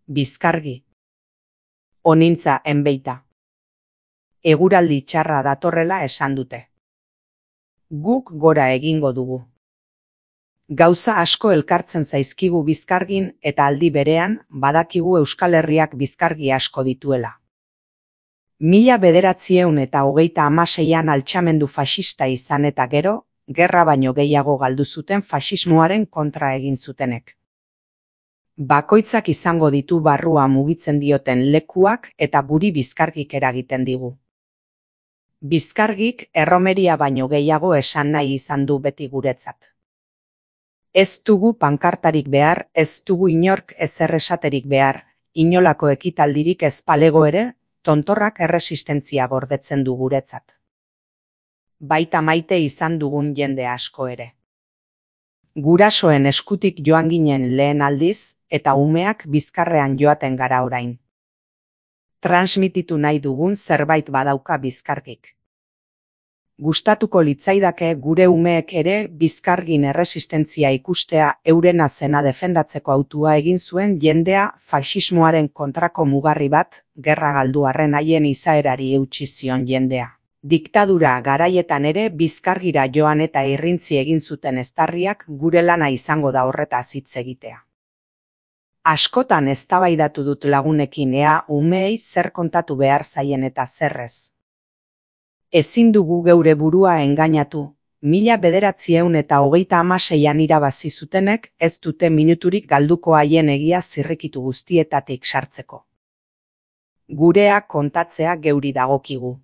Bizkargi. Onintza enbeita. Eguraldi txarra datorrela esan dute. Guk gora egingo dugu. Gauza asko elkartzen zaizkigu Bizkargin eta aldi berean badakigu Euskal Herriak bizkargi asko dituela. 1926an altxamendu faxista izan eta gero, gerra baino gehiago galdu zuten faxismoaren kontra egin zutenek. Bakoitzak izango ditu barrua mugitzen dioten lekuak eta guri Bizkargik eragiten digu. Bizkargik erromeria baino gehiago esan nahi izan du beti guretzat. Ez dugu pankartarik behar, ez dugu inork ezer esaterik behar, inolako ekitaldirik ez palego ere, tontorrak erresistentzia gordetzen du guretzat. Baita maite izan dugun jende asko ere. Gurasoen eskutik joan ginen lehen aldiz, eta umeak bizkarrean joaten gara orain. Transmititu nahi dugun zerbait badauka Bizkargik. Gustatuko litzaidake gure umeek ere Bizkargin erresistentzia ikustea eurena zena defendatzeko hautua egin zuen jendea faxismoaren kontrako mugarri bat, gerra galdu arren haien izaerari eutsi zion jendea. Diktadura garaietan ere Bizkargira joan eta irrintzi egin zuten eztarriak gure lana izango da horretaz hitz egitea. Askotan eztabaidatu dut lagunekin ea umeei zer kontatu behar zaien eta zerrez. Ezin dugu geure burua engainatu, 1926an irabazi zutenek ez dute minuturik galduko haien egia zirrikitu guztietatik sartzeko. Gurea kontatzea geuri dagokigu.